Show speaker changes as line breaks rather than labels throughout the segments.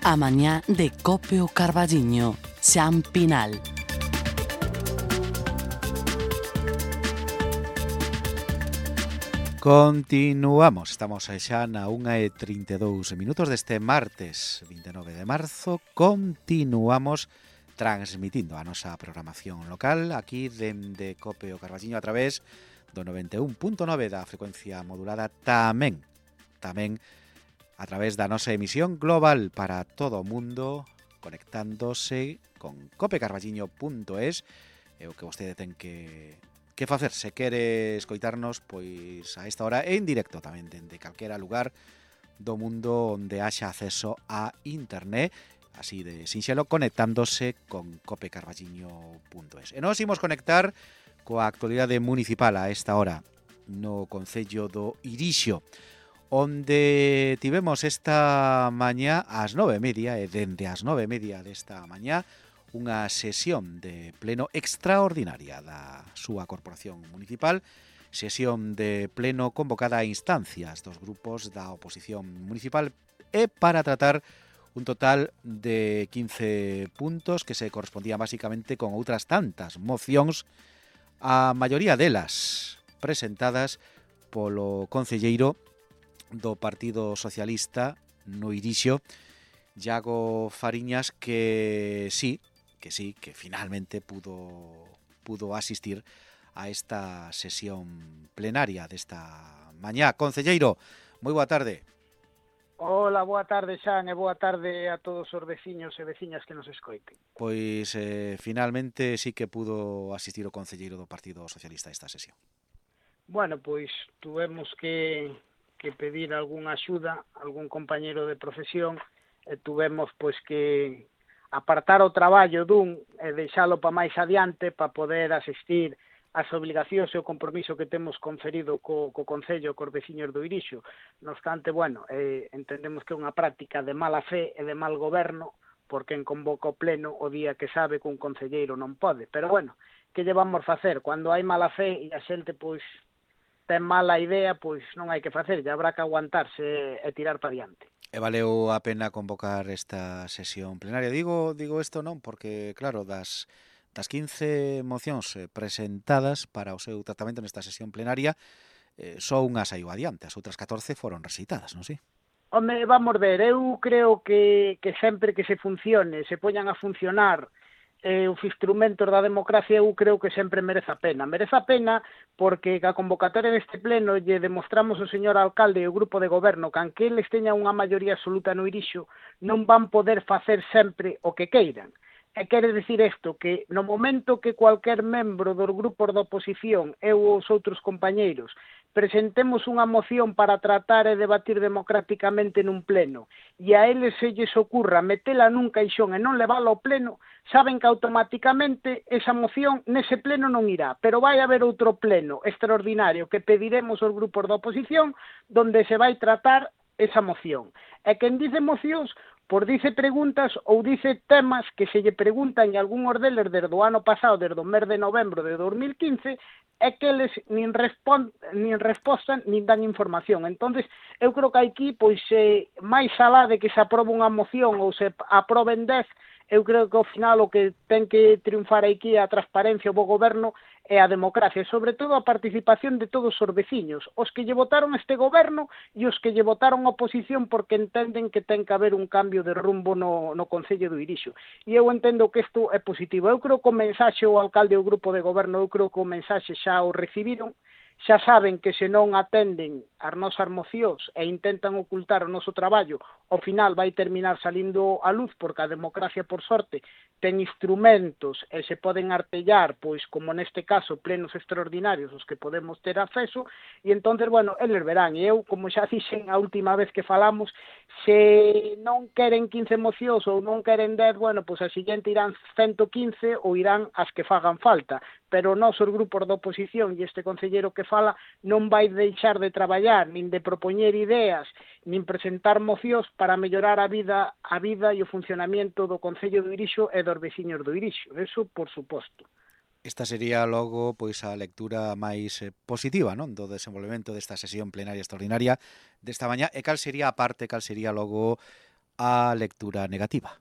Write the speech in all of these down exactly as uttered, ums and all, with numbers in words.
A mañá de Cope o Carballiño, Xan Pinal.
Continuamos, estamos xa na unha e trinta e dous minutos deste martes vinte e nove de marzo. Continuamos transmitindo a nosa programación local aquí dende Cope o Carballiño a través do noventa e un punto nove da frecuencia modulada, tamén tamén a través da nosa emisión global para todo o mundo, conectándose con cope carballiño punto es. É o que vostede ten que que facer se quere escoitarnos pois a esta hora en directo tamén dende calquera lugar do mundo onde haxa acceso a internet, así de sinxelo, conectándose con cope carballiño punto es. E nos imos conectar coa actualidade municipal a esta hora no concello do Irixo, onde tivemos esta mañá ás nove e media e dende as nove e media desta mañá unha sesión de pleno extraordinaria da súa corporación municipal, sesión de pleno convocada a instancias dos grupos da oposición municipal e para tratar un total de quince puntos que se correspondían basicamente con outras tantas mocións, a maioría delas presentadas polo concelleiro do Partido Socialista no Irixo, Iago Fariñas, que sí, que sí, que finalmente pudo pudo asistir a esta sesión plenaria desta mañá. Concelleiro, moi boa tarde.
Hola, boa tarde, Xan, e boa tarde a todos os veciños e veciñas que nos escoiten.
Pois eh, finalmente sí que pudo asistir o concelleiro do Partido Socialista a esta sesión.
Bueno, pois tuvemos que, que pedir algunha axuda, algún compañeiro de profesión, e tuvemos pois que apartar o traballo dun e deixalo para máis adiante para poder asistir ás obligacións e o compromiso que temos conferido co, co Concello, cos veciños do Irixo. No obstante, bueno, eh, entendemos que é unha práctica de mala fe e de mal goberno, porque en convoca o pleno o día que sabe que un concelleiro non pode. Pero bueno, que lle vamos facer? Cando hai mala fe e a xente pois ten mala idea, pois non hai que facer, ya habrá que aguantarse e tirar para diante.
E valeu a pena convocar esta sesión plenaria. Digo digo isto non porque, claro, das das quince mocións presentadas para o seu tratamento nesta sesión plenaria, eh, só unha saiu adiante, as outras catorce foron rexeitadas, non si?
Home, vamos ver, eu creo que, que sempre que se funcione, se poñan a funcionar eh, os instrumentos da democracia, eu creo que sempre merece a pena. Merece a pena porque a convocatoria deste pleno lle demostramos ao señor alcalde e o grupo de goberno que aunque eles teñan unha maioría absoluta no Irixo, non van poder facer sempre o que queiran. E quere dicir isto, que no momento que cualquier membro dos grupos da oposición e os outros compañeiros presentemos unha moción para tratar e debatir democráticamente nun pleno e a eles se lles ocurra metela nun caixón e non levala ao pleno, saben que automáticamente esa moción nese pleno non irá, pero vai haber outro pleno extraordinario que pediremos aos grupos da oposición donde se vai tratar esa moción. E quen dice mocións, por dice preguntas ou dice temas que se lle preguntan e algúns deles desde o ano pasado, desde o mes de novembro de dos mil quince, é que eles nin, respond, nin respostan nin dan información. Entonces, eu creo que aquí, pois, eh, máis alá de que se aprobe unha moción ou se aproben dez, eu creo que ao final o que ten que triunfar aquí é a transparencia, o bo goberno e a democracia, e sobre todo a participación de todos os veciños, os que lle votaron este goberno e os que lle votaron a oposición porque entenden que ten que haber un cambio de rumbo no, no Concello do Irixo. E eu entendo que isto é positivo. Eu creo que o mensaxe o alcalde e o grupo de goberno, eu creo que o mensaxe xa o recibiron, xa saben que se non atenden as nosas mocións e intentan ocultar o noso traballo, ao final vai terminar salindo a luz, porque a democracia, por sorte, ten instrumentos e se poden artellar, pois, como neste caso, plenos extraordinarios os que podemos ter acceso, e entonces, bueno, eles verán, e eu, como xa dixen a última vez que falamos, se non queren quince mocións ou non queren dez, bueno, pois a seguinte irán ciento quince ou irán as que fagan falta, pero nós, os grupos da oposición e este concelleiro que fala, non vai deixar de traballar, nin de propoñer ideas, nin presentar mocións para mellorar a vida a vida e o funcionamento do Concello do Irixo e dos veciños do Irixo. Eso, por suposto.
Esta sería logo pois a lectura máis eh, positiva, non, do desenvolvemento desta sesión plenaria extraordinaria desta mañá. E cal sería a parte, cal sería logo a lectura negativa?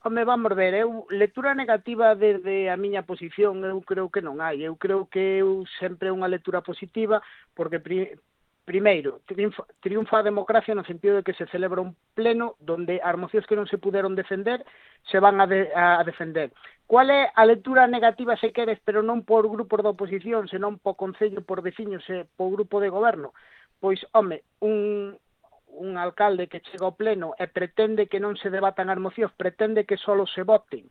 Home, vamos ver, eu lectura negativa desde a miña posición eu creo que non hai. Eu creo que eu sempre unha lectura positiva porque pri, primeiro, triunfa, triunfa a democracia no sentido de que se celebra un pleno donde as mocións que non se puderon defender se van a, de, a defender. Cual é a lectura negativa se queres, pero non por grupos da oposición, senón por concello, por veciños e por grupo de goberno? Pois, home, un... un alcalde que chega ao pleno e pretende que non se debatan as mocións, pretende que só se voten,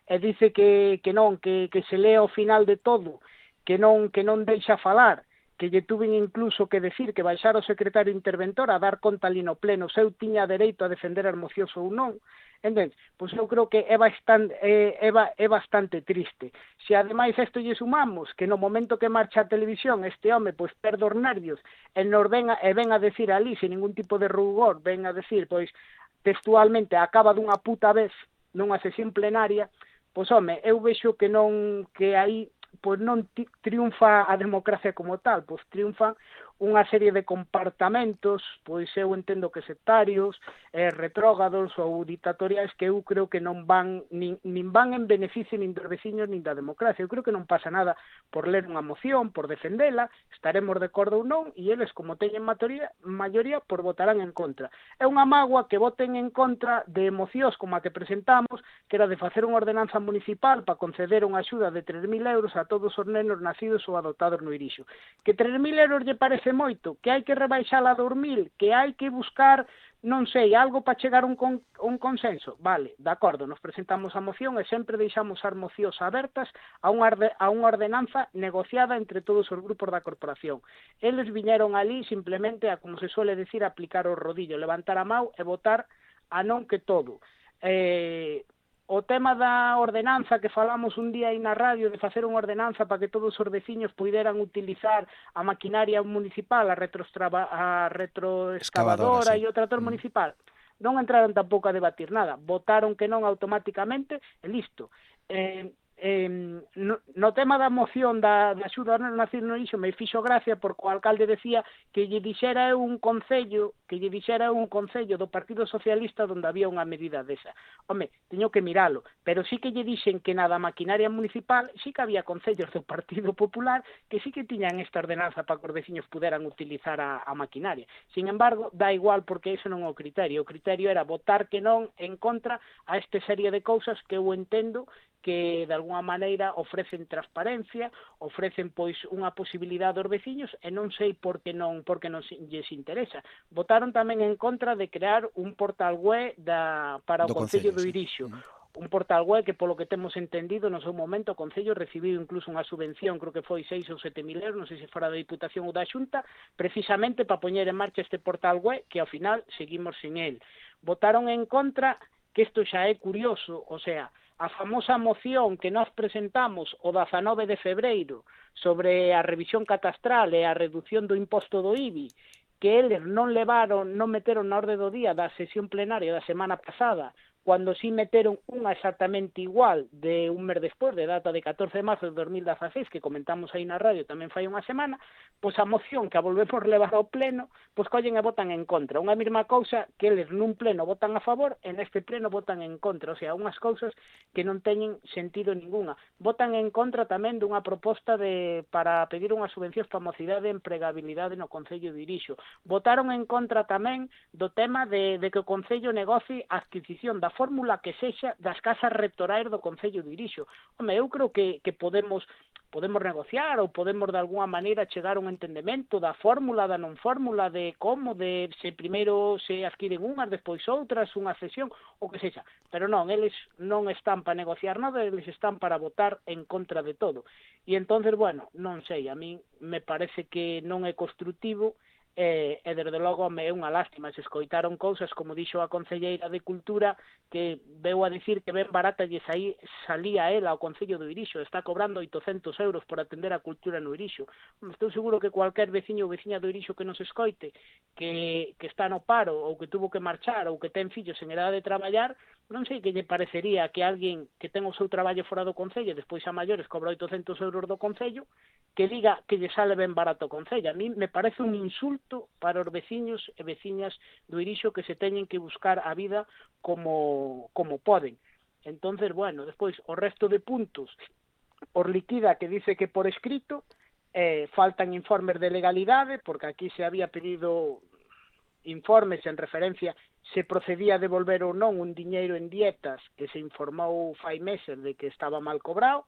e dice que, que non, que, que se lea ao final de todo, que non que non deixa falar, que lle tuven incluso que decir que baixara o secretario interventor a dar conta ali no pleno, se eu tiña dereito a defender as mocións ou non. Entón, pois eu creo que é bastante, é, é, é bastante triste. Se ademais isto lle sumamos que no momento que marcha a televisión este home pois perde os nervios e nos ven a, e ven a decir ali sin ningún tipo de rugor, ven a decir pois textualmente acaba dunha puta vez nunha sesión plenaria, pois home, eu vexo que non que aí pois non triunfa a democracia como tal, pois triunfan unha serie de comportamentos, pois eu entendo que sectarios, eh, retrógados ou dictatoriais que eu creo que non van nin, nin van en beneficio nin dos veciños nin da democracia. Eu creo que non pasa nada por ler unha moción, por defendela, estaremos de acordo ou non, e eles, como teñen maioría, maioría, por votarán en contra. É unha mágoa que voten en contra de mocións como a que presentamos, que era de facer unha ordenanza municipal para conceder unha axuda de tres mil euros a todos os nenos nacidos ou adoptados no Irixo. Que tres mil euros lle parece moito, que hai que rebaixala a dos mil, que hai que buscar, non sei, algo para chegar a un, con, un consenso. Vale, de acordo, nos presentamos a moción e sempre deixamos as mocións abertas a unha, a unha ordenanza negociada entre todos os grupos da corporación. Eles viñeron ali simplemente a, como se suele decir, aplicar o rodillo, levantar a mão e votar a non que todo. Eh... O tema da ordenanza que falamos un día aí na radio de facer unha ordenanza para que todos os veciños puderan utilizar a maquinaria municipal, a, a retroexcavadora e o trator mm. municipal, non entraron tampouco a debatir nada, votaron que non automáticamente e listo. Eh, eh, no, no tema da moción da, da axuda ao nacido no Irixo me fixo gracia porque o alcalde decía que lle dixera un concello que lle dixera un concello do Partido Socialista onde había unha medida desa. Home, teño que miralo, pero sí que lle dixen que na da maquinaria municipal sí que había concellos do Partido Popular que sí que tiñan esta ordenanza para que os veciños puderan utilizar a, a maquinaria. Sin embargo, dá igual porque iso non é o criterio. O criterio era votar que non en contra a esta serie de cousas que eu entendo que de alguna maneira ofrecen transparencia, ofrecen pois unha posibilidade aos veciños e non sei por que non, por que non lles interesa. Votaron tamén en contra de crear un portal web da, para o Concello do Irixo. Sí. Un portal web que, polo que temos entendido, no seu momento o Concello recibiu incluso unha subvención, creo que foi seis ou sete mil euros, non sei se fora da Diputación ou da Xunta, precisamente para poñer en marcha este portal web que ao final seguimos sin el. Votaron en contra, que isto xa é curioso, o sea, a famosa moción que nós presentamos o dezanove de febreiro sobre a revisión catastral e a reducción do imposto do I B I, que eles non levaron, non meteron na orde do día da sesión plenaria da semana pasada, cando sí meteron unha exactamente igual de un mes despois, de data de catorce de marzo de dos mil dezaseis, que comentamos aí na radio tamén fai unha semana, pois a moción que a volvemos levar ao pleno, pois collen e votan en contra. Unha mesma cousa que eles nun pleno votan a favor e neste pleno votan en contra. O sea, unhas cousas que non teñen sentido ninguna. Votan en contra tamén dunha proposta de para pedir unhas subvencións para a mocidade e empregabilidade no Concello de Irixo. Votaron en contra tamén do tema de, de que o Concello negocie a adquisición da fórmula que sexa das casas rectorais do Concello de Irixo. Home, eu creo que, que podemos podemos negociar ou podemos de alguna maneira chegar a un entendemento da fórmula, da non fórmula, de como, de se primeiro se adquiren unhas, despois outras, unha cesión, o que sexa. Pero non, eles non están para negociar nada, eles están para votar en contra de todo. E entonces, bueno, non sei, a mí me parece que non é construtivo. E, e desde logo me é unha lástima, se escoitaron cousas como dixo a concelleira de Cultura que veu a dicir que ben barata lle saí, salía ela ao Concello do Irixo, está cobrando oitocentos euros por atender a cultura no Irixo. Estou seguro que cualquier veciño ou veciña do Irixo que nos escoite que, que está no paro ou que tuvo que marchar ou que ten fillos en edade de traballar, non sei que lle parecería que alguén que ten o seu traballo fora do Concello despois a maiores cobra oitocentos euros do Concello que diga que lle sale ben barato o Concello. A mí me parece un insulto sufrimento para os veciños e veciñas do Irixo que se teñen que buscar a vida como, como poden. Entonces, bueno, despois, o resto de puntos, por liquida que dice que por escrito, eh, faltan informes de legalidade, porque aquí se había pedido informes en referencia se procedía a devolver ou non un diñeiro en dietas que se informou fai meses de que estaba mal cobrado.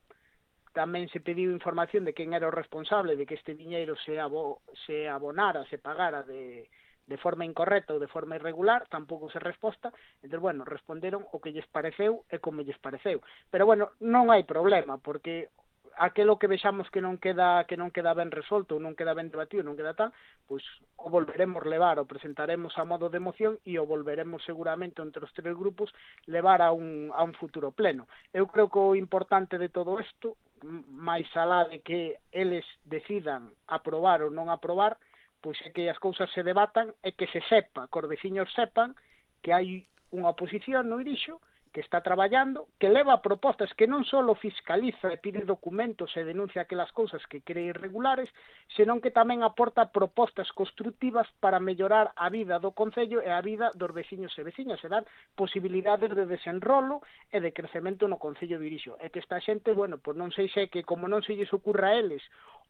Tamén se pediu información de quen era o responsable de que este diñeiro se, abo, se abonara, se pagara de, de forma incorrecta ou de forma irregular, tampouco se resposta. Entón, bueno, responderon o que lles pareceu e como lles pareceu. Pero, bueno, non hai problema, porque aquelo que vexamos que non queda que non queda ben resolto, non queda ben debatido, non queda tal, pois o volveremos levar, o presentaremos a modo de moción e o volveremos seguramente entre os tres grupos levar a un, a un futuro pleno. Eu creo que o importante de todo isto, máis alá de que eles decidan aprobar ou non aprobar, pois é que as cousas se debatan e que se sepa, que os veciños sepan que hai unha oposición no Irixo que está traballando, que leva propostas que non só fiscaliza e pide documentos e denuncia aquelas cousas que cree irregulares, senón que tamén aporta propostas constructivas para mellorar a vida do Concello e a vida dos veciños e veciñas, e dar posibilidades de desenrolo e de crecemento no Concello de Irixo. E que esta xente, bueno, pois non sei se que como non se lles ocurra a eles,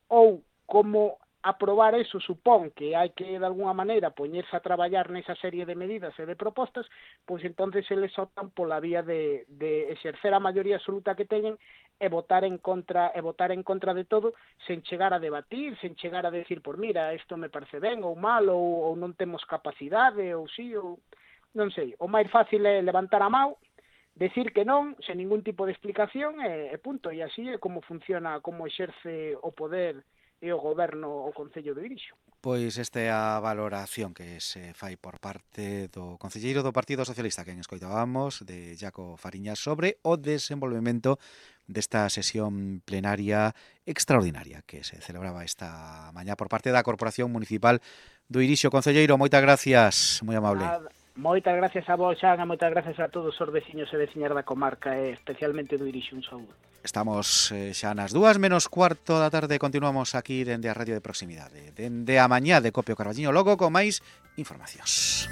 ou como aprobar eso supón que hai que, de alguna maneira, poñerse a traballar nesa serie de medidas e de propostas, pois entonces eles optan pola vía de, de exercer a maioría absoluta que teñen e votar en contra e votar en contra de todo, sen chegar a debatir, sen chegar a decir, por mira, isto me parece ben ou mal, ou, ou non temos capacidade, ou sí, ou non sei. O máis fácil é levantar a mão, decir que non, sen ningún tipo de explicación, e, e punto. E así é como funciona, como exerce o poder e o goberno o Concello de Irixo.
Pois esta é a valoración que se fai por parte do concelleiro do Partido Socialista, que en escoitábamos, de Jaco Fariñas, sobre o desenvolvemento desta sesión plenaria extraordinaria que se celebraba esta mañá por parte da Corporación Municipal do Irixo. Concelleiro, moitas gracias, moi amable.
Nada. Moitas gracias a vos, Xan, e moitas gracias a todos os veciños e veciñas da comarca, e especialmente do Irixo. Un saúdo.
Estamos eh, xa nas dúas menos cuarto da tarde, continuamos aquí dende a Radio de Proximidade. Dende a mañá de Copio Carballiño, logo con máis informacións.